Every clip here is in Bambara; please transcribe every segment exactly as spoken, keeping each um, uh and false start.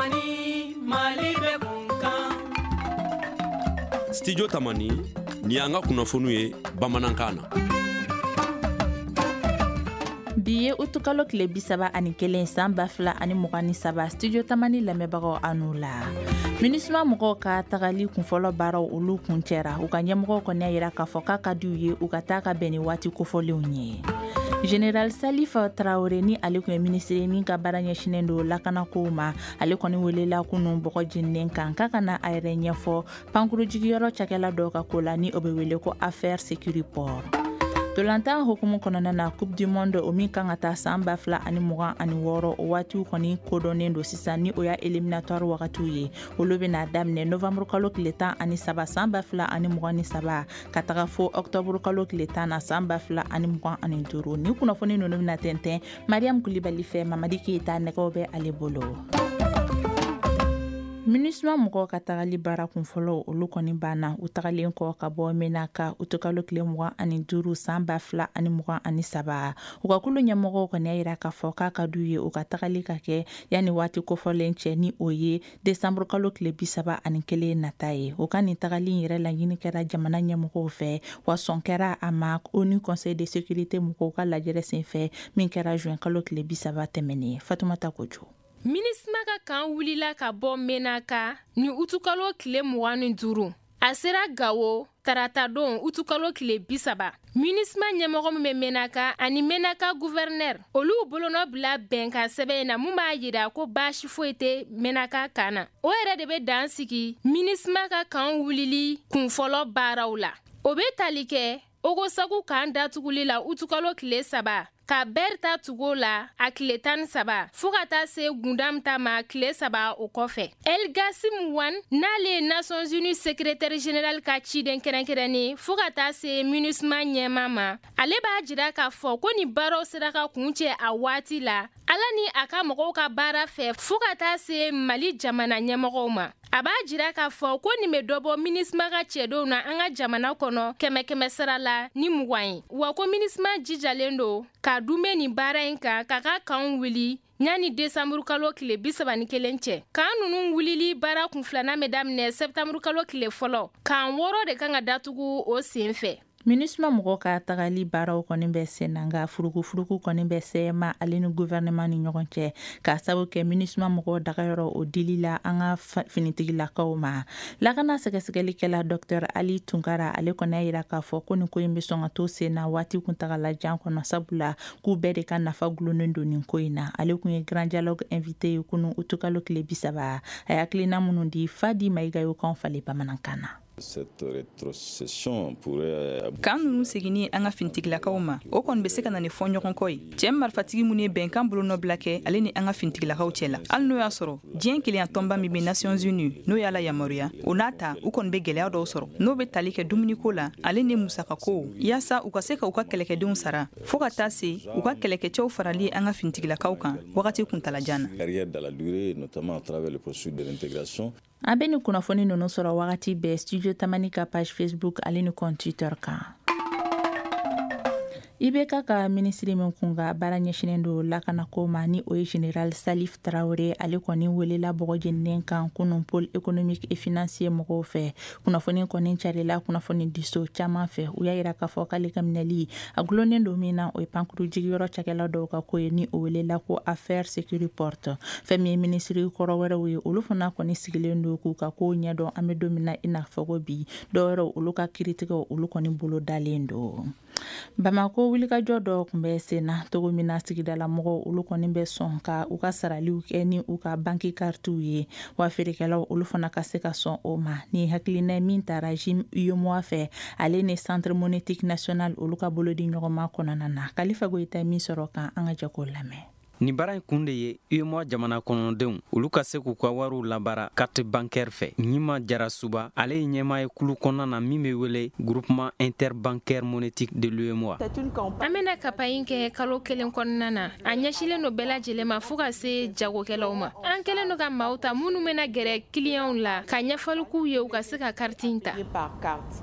Tamani, Mali bɛ kun kan. Studio Tamani, ni y'an ka kunnafoniw ye bamanankan na. Bi ye utukalo tile bi saba ani kelen san ba fila ani mugan ni saba. Studio Tamani lamɛnbagaw, aw n'u la. MINUSMA mɔgɔw ka tagali kunfɔlɔ baaraw, olu kun cɛra. U ka ɲɛmɔgɔw kɔni y'a yira k'a fɔ k'a ka di u ye u ka taa ka bɛn ni waati kofɔlenw ye. Général Salif Traoré, ni ale tun ye minisiri min ka baara ɲɛsinen don lakanakow ma, ale kɔni welela kunun bɔgɔ jeninen kan k'a ka na a yɛrɛ ɲɛfɔ pankuru jigiyɔrɔ cakɛla dɔw ka ko la, ni o bɛ wele ko affaire Sécuriport. Ntolantan hukumu kɔnɔna na, Coupe du Monde, o min kan ka taa san ba fila ani mugan ani wɔɔrɔ, o waatiw kɔni kodɔnnen don sisan, ni o y'a éliminatoire wagatiw ye. Olu bɛna daminɛ novembre kalo tile tan ani saba san ba fila ani mugan ni saba, ka taga fo octobre kalo tile tan na san ba fila ani mugan ani duuru. Ni kunnafoni ninnu bɛna tɛntɛn Mariam Kulibali fɛ. Mamadi Keyita nɛgɛw bɛ ale bolo. MINUSMA mɔgɔw ka tagali baara kunfɔlɔ, olu kɔni banna. U tagalen kɔ ka bɔ Menaka utukalo tile mugan ani duuru san ba fila ani mugan ani saba, u ka kulu ɲɛmɔgɔw kɔni y'a yira k'a fɔ k'a ka d'u ye u ka tagali ka kɛ yanni waati kofɔlen cɛ, ni o ye desanburu kalo tile bi saba ani kelen nata ye. O ka nin tagali yɛrɛ laɲini kɛra jamana ɲɛmɔgɔw fɛ, wa sɔn kɛra a ma ONU Conseil de sécurité mɔgɔw ka lajɛrɛ senfɛ min kɛra juin kalo tile bi saba tɛmɛnen. Fatumata Kojo. MINUSMA ka kan wulila ka bɔ Menaka ni utukalo tile mugan ni duuru. A sera Gawo taratadon utukalo tile bi saba. MINUSMA ɲɛmɔgɔ min bɛ Menaka ani Menaka gouverneur, olu bolonɔ bila bɛnkan sɛbɛn na mun b'a yira ko baasi foyi tɛ Menaka kan na. O yɛrɛ de bɛ dan sigi MINUSMA ka kan wulili kunfɔlɔ baaraw la. O bɛ tali kɛ Ogosagu kan datuguli la utukalo tile saba, ka Bɛri ta tugu la a tile tan ni saba, fɔɔ ka taa se Gundam ta ma tile saba o kɔfɛ. El Gasim Wan, n'ale ye Nations Unies secrétaire général ka ciden kɛrɛnkɛrɛnnen fɔɔ ka taa se MINUSMA ɲɛma ma, ale b'a jira k'a fɔ ko nin baaraw sera ka kun cɛ a waati la, Ala ni a ka mɔgɔw ka baara fɛ, fɔɔ ka taa se Mali jamana ɲɛmɔgɔw ma. A b'a jira k'a fɔ ko nin bɛ dɔbɔ MINUSMA ka cɛdenw na an ka jamana kɔnɔ kɛmɛ kɛmɛ sara la ni mugan ye, wa ko MINUSMA jijalen don ka dunbe nin baara in kan k'a ka kanw wuli ɲani desanburu kalo tile bi saba ni kelen cɛ. Kan nunu wulili baara kun filanan bɛ daminɛ sɛptanburu kalo tile fɔlɔ. Kan wɔɔrɔ de kan ka datugu o sen fɛ. MINUSMA mɔgɔw ka tagali baaraw kɔni bɛ sen na, nka furukufuruku kɔni bɛ C M A ale ni gouvernement ni ɲɔgɔn cɛ, k'a sabu kɛ MINUSMA mɔgɔw dagayɔrɔ, o dili la an ka finitigilakaw ma. Lakana sɛgɛsɛgɛlikɛla Docteur Ali Tunkara, ale kɔni y'a yira k'a fɔ ko nin ko in bɛ sɔn ka to sen na waati kuntagala jan kɔnɔ, sabula k'u bɛɛ de ka nafa gulonnen don nin ko in na. Ale kun ye Grand Dialogue invité ye kunu utukalo tile bi saba. A ye hakilina minnu di, Fadi Mayiga y'o kan falen bamanankan na. Cette rétrocession pourrait Kan nunu seginni an ka fintigilakaw ma, o kɔni be se ka na ni fɔɲɔgɔnkɔ ye. Cɛɛ marifatigi minnu ye bɛnkan bolonɔbila kɛ ale ni an ka fintigilakaw cɛ la, hali n'o y'a sɔrɔ diɲɛ kelenya tɔnba min be Nations Unies, n'o y'a la yamaruya, o n'a ta, u kɔni be gwɛlɛya dɔw sɔrɔ, n'o be tali kɛ dumuniko la ale ni musakako, yaasa u ka se ka u ka kɛlɛkɛdenw sara, fɔɔ ka taa se u ka kɛlɛkɛcɛw farali an ka fintigilakaw kan wagati kuntalajan na. Carrière dans la durée, notamment à travers le processus de l'intégration. An bɛ nin kunnafoni ninnu sɔrɔ wagati bɛɛ Studio Tamani ka page Facebook ale ni compte Twitter kan. I B K ka minisiri min kun ka baara ɲɛsinen don lakanako ma, ni o ye général Salif Traoré, ale kɔni welela bɔgɔ jeninen kan kunun Pôle économique et financier mɔgɔw fɛ. Kunnafoni kɔni carila kunnafoni diso caman fɛ. U y'a yira k'a fɔ k'ale ka minɛli a gulonnen don min na, o ye pankuru jigiyɔrɔ cakɛla dɔw ka ko ye, ni o welela ko affaire Sécuriport. Fɛn min ye minisiri kɔrɔ wɛrɛw ye, olu fana kɔni sigilen don k'u ka kow ɲɛdɔn. An bɛ don min na i n'a fɔ ko bi, dɔwɛrɛw, olu ka kiiritigɛw, olu kɔni bolo dalen don. Bamako wulikajɔ dɔ tun bɛ sen na togo min na, sigidala mɔgɔw, olu kɔni bɛ sɔn ka u ka saraliw kɛ ni u ka banki karitiw ye, wa feerekɛlaw, olu fana ka se ka sɔn o ma. Ni hakilina min taara J I M UEMOA fɛ, ale ni Centre monétique national, olu ka bolodi ɲɔgɔnma kɔnɔna na. Kalifa Goyita min sɔrɔ kan, an ka jɛ k'o lamɛn. Nin baara in kun de ye UEMOA jamana kɔnɔdenw, olu ka se k'u ka wariw labara carte bancaire fɛ. Ɲima Jara Suba, ale ye ɲɛmaa ye kulu kɔnɔna na min be wele Groupement interbancaire monétique de l'UEMOA. An bena campagne kɛ kalo kelen kɔnɔna na. A ɲɛsilen do bɛɛ lajɛlen ma, fɔɔ ka se jagokɛlaw ma. An kɛlen do ka maaw ta minnu bena gɛrɛ kiliyanw la ka ɲɛfɔli k'u ye u ka se ka kariti in ta.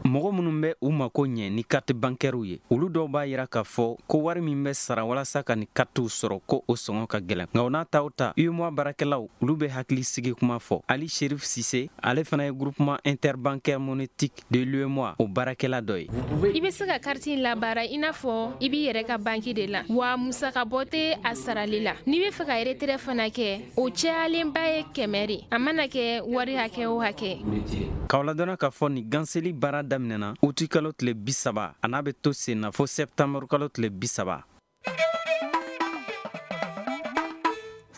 Mɔgɔ minnu bɛ u mako ɲɛ ni carte bancaire ye, olu dɔw b'a yira k'a fɔ ko wari min bɛ sara walasa ka nin kartiw sɔrɔ, ko o sɔngɔ sɔngɔ ka gɛlɛn. Nka o n'a ta o ta, UEMOA baarakɛlaw olu bɛ hakili sigi kuma fɔ. Ali Sherif Sise, ale fana ye groupement interbancaire monétique de l'UEMOA o baarakɛla dɔ ye. I bɛ se ka kariti in labaara i n'a fɔ i b'i yɛrɛ ka banki de la, wa musakabɔ tɛ a sarali la. N'i bɛ fɛ ka retrait fana kɛ, o cayalenba ye kɛmɛ de, a mana kɛ wari hakɛ o hakɛ. K'aw ladɔnna k'a fɔ nin ganseli baara daminɛna uti kalo tile bi saba, a n'a bɛ to sen na fo sɛptanburu kalo tile bi saba.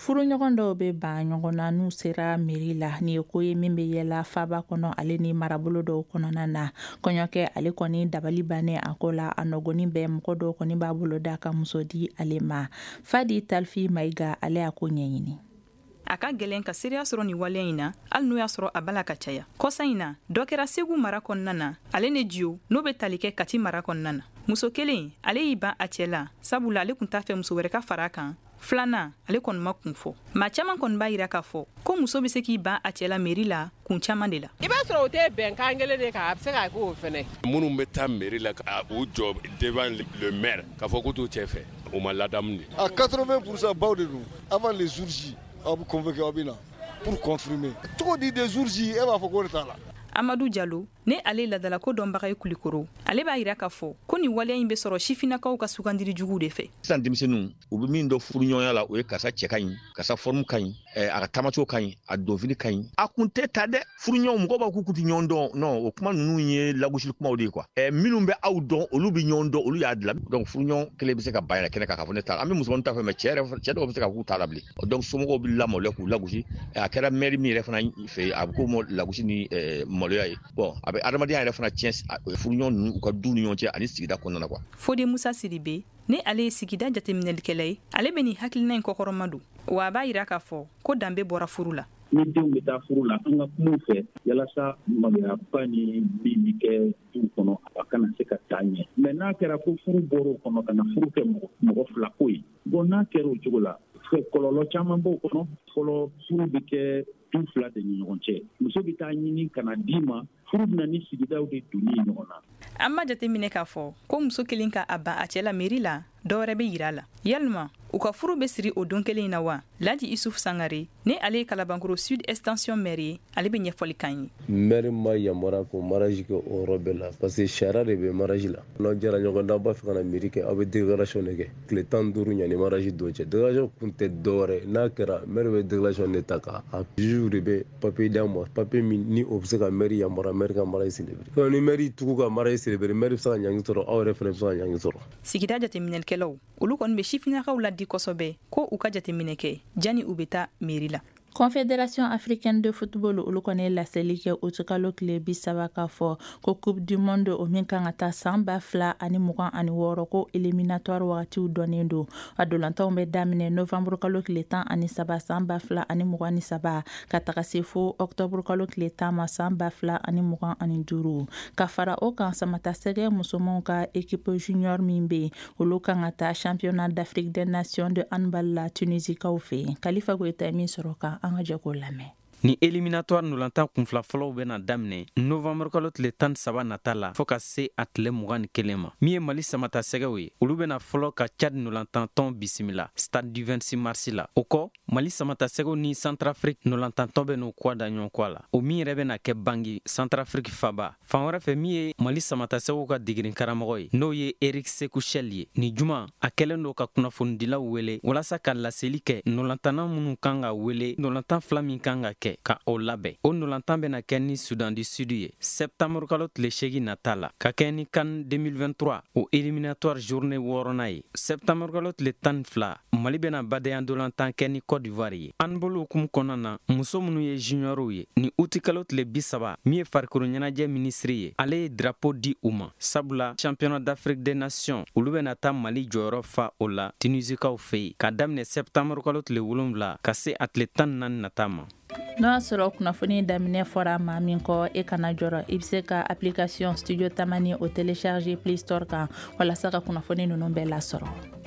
Furuɲɔgɔn dɔw bɛ ban ɲɔgɔn na n'u sera mairie la. Nin ye ko ye min bɛ yɛlɛ faba kɔnɔ ale ni marabolo dɔw kɔnɔna na. Kɔɲɔkɛ ale kɔni dabali bannen a ko la, a nɔgɔni bɛ mɔgɔ dɔw kɔni b'a bolo da ka muso di ale ma. Fadi Talfi Mayiga ale y'a ko ɲɛɲini. A ka gɛlɛn ka seereya sɔrɔ nin waleya in na, hali n'o y'a sɔrɔ a b'a la ka caya. Kɔsa in na, dɔ kɛra Segu mara kɔnɔna na, ale ni Jiyo n'o bɛ tali kɛ Kati mara kɔnɔna na. Muso kelen, ale y'i ban a cɛ la, sabula ale tun t'a fɛ muso wɛrɛ ka fara a kan. Filanan, ale kɔni ma kun fɔ. Maa caman kɔni b'a yira k'a fɔ ko muso bɛ se k'i ban a cɛ la mairie la kun caman de la. I b'a sɔrɔ o tɛ bɛnkan kelen de kan, a bɛ se ka k'o fɛnɛ. Minnu bɛ taa mairie la ka u jɔ devant le maire k'a fɔ k'u t'u cɛ fɛ, o ma ladamu de. A quatre-vingts pour cent baw de don avant les jours J, aw bɛ convoquer aw bɛ na pour confirmer. Cogo di des jours J, e b'a fɔ k'o de t'a la. Amadu Jalo, ne ale ladalako dɔnbaga ye Kulikoro, ale b'a yira k'a fɔ ko nin waleya in bɛ sɔrɔ sifinnakaw ka sugandili juguw de fɛ. Sisan denmisɛnninw, u bɛ min dɔn furuɲɔgɔnya la, o ye karisa cɛ ka ɲi, karisa forme ka ɲi, a ka taamacogo ka ɲi, a donfini ka ɲi. A kun tɛ ta dɛ. Furuɲɔgɔnw, mɔgɔw b'a k'u kun tɛ ɲɔgɔn dɔn. Non, o kuma ninnu ye lagosili kumaw de ye quoi. Ɛ minnu bɛ aw dɔn, olu bɛ ɲɔgɔn dɔn, olu y'a dilan. Donc furuɲɔgɔn kelen bɛ se ka ban yɛrɛ kɛnɛ kan k'a fɔ ne t'a la. An bɛ musomanin ta fɛ, mais cɛ yɛrɛ, cɛ dɔw bɛ se ka k'u t'a la bilen. Donc somɔgɔw bɛ lamaloya k'u lagosi. A kɛra maire min yɛrɛ fana fɛ, a bɛ k'o ma lagosi ni maloya ye. Bon, a bɛ adamadenya yɛrɛ fana tiɲɛ furuɲɔgɔn ninnu u ka du ni ɲɔgɔn cɛ ani sigida kɔnɔna na quoi. Fode Musa Sidibe, ne ale ye sigida jateminɛlikɛla ye, ale bɛ nin hakilina in kɔkɔrɔma don, wa a b'a yira k'a fɔ ko danbe bɔra furu la. Ni denw bɛ taa furu la, an ka kumaw fɛ yalasa maloyaba ni min bɛ kɛ du kɔnɔ, a kana se ka taa ɲɛ. Mais n'a kɛra ko furu bɔra o kɔnɔ ka na furu kɛ mɔgɔ fila ko ye, bon n'a kɛra o cogo la, kɔlɔlɔ caman b'o kɔnɔ. Fɔlɔ, furu bɛ kɛ du fila de ni ɲɔgɔn cɛ. Muso bɛ taa ɲini ka na d'i ma, furu bɛna ni sigidaw de donni ɲɔgɔn na. An b'a jateminɛ k'a fɔ ko muso kelen ka a ban a cɛ la mairie la, dɔwɛrɛ bɛ yira a la. Yalima u ka furu bɛ siri o don kelen in na wa? Laji Isuf Sangare, ne ale ye Kalabankoro Sud Extension maire ye, ale bɛ ɲɛfɔli k'an ye. Maire ma yamaruya k'o mariage kɛ o yɔrɔ bɛɛ la, parce que sariya de bɛ mariage la. N'aw jɛra ɲɔgɔn na, aw b'a fɛ ka na mairie kɛ, aw bɛ déclaration de kɛ tile tan ni duuru ɲani mariage don cɛ. Déclaration kun tɛ dɔwɛrɛ, n'a kɛra maire bɛ déclaration de ta k'a juge de bɛ papier d'an ma, papier min ni o bɛ se ka maire yamaruya maire ka mariage célébrer. Ni maire tugu ka mariage célébrer, maire bɛ se ka ɲangi sɔrɔ, aw yɛrɛ fana bɛ se ka ɲangi sɔrɔ. Sigida jateminɛlikɛlaw, olu kɔni bɛ sifinnakaw ladi kosɛbɛ ko u ka jateminɛ kɛ janni u bɛ taa mairie la. Confédération africaine de football olu kɔni ye laseli kɛ utikalo tile bi saba k'a fɔ ko Coupe du monde o min kan ka taa san ba fila ani mugan ani wɔɔrɔ ko éliminatoire wagatiw dɔnnen don. A dolantanw bɛ daminɛ novembre kalo tile tan ani saba san ba fila ani mugan ni saba ka taga se fo octobre kalo tile tan ma san ba fila ani mugan ani duuru. Ka fara o kan, samatasɛgɛ musomanw ka équipe junior min bɛ yen, olu kan ka taa championnat d'Afrique des nations de handball la Tunisikaw fɛ yen. Kalifa Goyita ye min sɔrɔ kan, an ka jɛ k'o lamɛn. Ni éliminatoire ndolantan kunfila fɔlɔw bɛna daminɛ novembre kalo tile tan ni saba nata la fɔɔ ka se a tile mugan ni kelen ma. Min ye Mali samatasɛgɛw ye, olu bɛna fɔlɔ ka Tchad ndolantantɔn bisimila stade du vingt-six mars la. O kɔ, Mali samatasɛgɛw ni Centrafrique ndolantantɔn bɛ n'u kɔ da ɲɔgɔn kɔ la, o min yɛrɛ bɛna kɛ Bangi, Centrafrique faba. Fan wɛrɛ fɛ, min ye Mali samatasɛgɛw ka degeden karamɔgɔ ye, n'o ye Eric Sekou Chelle ye, ni juma a kɛlen don ka kunnafonidilaw wele walasa ka laseli kɛ ndolantanna minnu kan ka wele, ndolantan fila min kan ka kɛ ka o labɛn. O ndolantan bɛna kɛ ni Soudan du Sud ye septembre kalo tile seegin nata la, ka kɛ ni CAN deux mille vingt-trois o éliminatoire journée wɔɔrɔnan ye. Septembre kalo tile tan ni fila, Mali bɛna badenya ndolantan kɛ ni Côte d'Ivoire ye. Handball hukumu kɔnɔna na, muso minnu ye juniorw ye, ni uti kalo tile bi saba, min ye farikolo ɲɛnajɛ minisiri ye, ale ye drapeau di u ma, sabula championnat d'Afrique des nations olu bɛna taa Mali jɔyɔrɔ fa o la Tunisikaw fɛ yen ka daminɛ septembre kalo tile wolonwula ka se a tile tan ni naani nata ma. N'o y'a sɔrɔ kunnafoni daminɛ fɔra maa min kɔ, e kana jɔrɔ, i bɛ se ka application Studio Tamani o télécharger Play Store kan walasa ka kunnafoni ninnu bɛɛ lasɔrɔ.